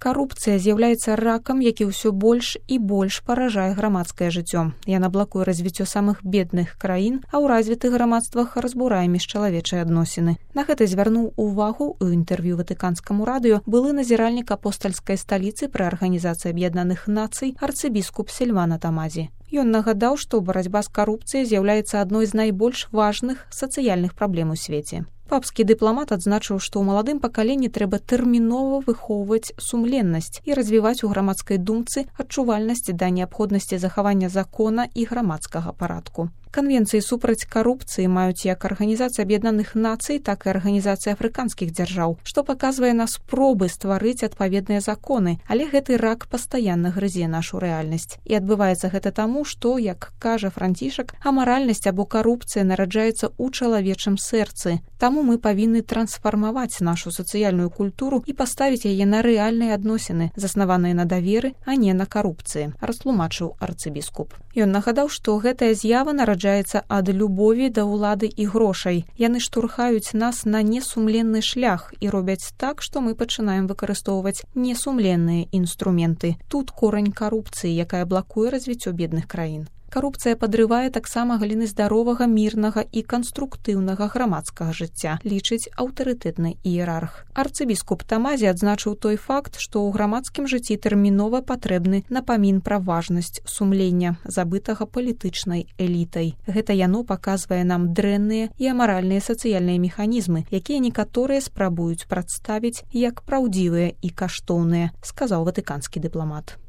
Карупцыя з'яўляецца ракам, які ўсё больш і больш паражае грамадскае жыццё. Яна блакуе развіццё самых бедных краін, а ў развітых грамадствах разбурае міжчалавечыя адносіны. На гэта звярнуў увагу ў інтэрв'ю Ватыканскаму радыё былы назіральнік апостальскай сталіцы пры Арганізацыі Аб'яднаных Нацый арцыбіскуп Сільвана Тамазі. Ён нагадаў, што барацьба з карупцыяй з'яўляецца адной з найбольш важных сацыяльных праблем у свеце. Папскі дыпламат адзначыў, што ў маладым пакаленні трэба тэрмінова выхоўваць сумленнасць і развіваць у грамадскай думцы адчувальнасць да неабходнасці захавання закона і грамадскага парадку. Канвенцыі супраць карупцыі маюць як Арганізацыя Аб'яднаных Нацый, так і Арганізацыя афрыканскіх дзяржаў, што паказвае на спробы стварыць адпаведныя законы, але гэты рак пастаянна грызе нашу рэальнасць. І адбываецца гэта таму, што, як кажа Францішак, амаральнасць або карупцыя нараджаецца ў чалавечым сэрцы. Таму мы павінны трансфармаваць нашу сацыяльную культуру і паставіць яе на рэальныя адносіны, заснаваныя на даверы, а не на карупцыі, растлумачыў арцыбіскуп. Ён нагадаў, што гэтая з'ява нараджаецца ад любові да ўлады і грошай. Яны штурхаюць нас на несумленны шлях і робяць так, што мы пачынаем выкарыстоўваць несумленныя інструменты. Тут корань карупцыі, якая блакуе развіццё бедных краін. Карупцыя падрывае таксама галіны здаровага, мірнага і канструктыўнага грамадскага жыцця, лічыць аўтарытэтны іерарх. Арцыбіскуп Тамазі адзначыў той факт, што ў грамадскім жыцці тэрмінова патрэбны напамін пра важнасць сумлення, забытага палітычнай элітай. Гэта яно паказвае нам дрэнныя і амаральныя сацыяльныя механізмы, якія некаторыя спрабуюць прадставіць як праўдзівыя і каштоўныя, сказаў ватыканскі дыпламат.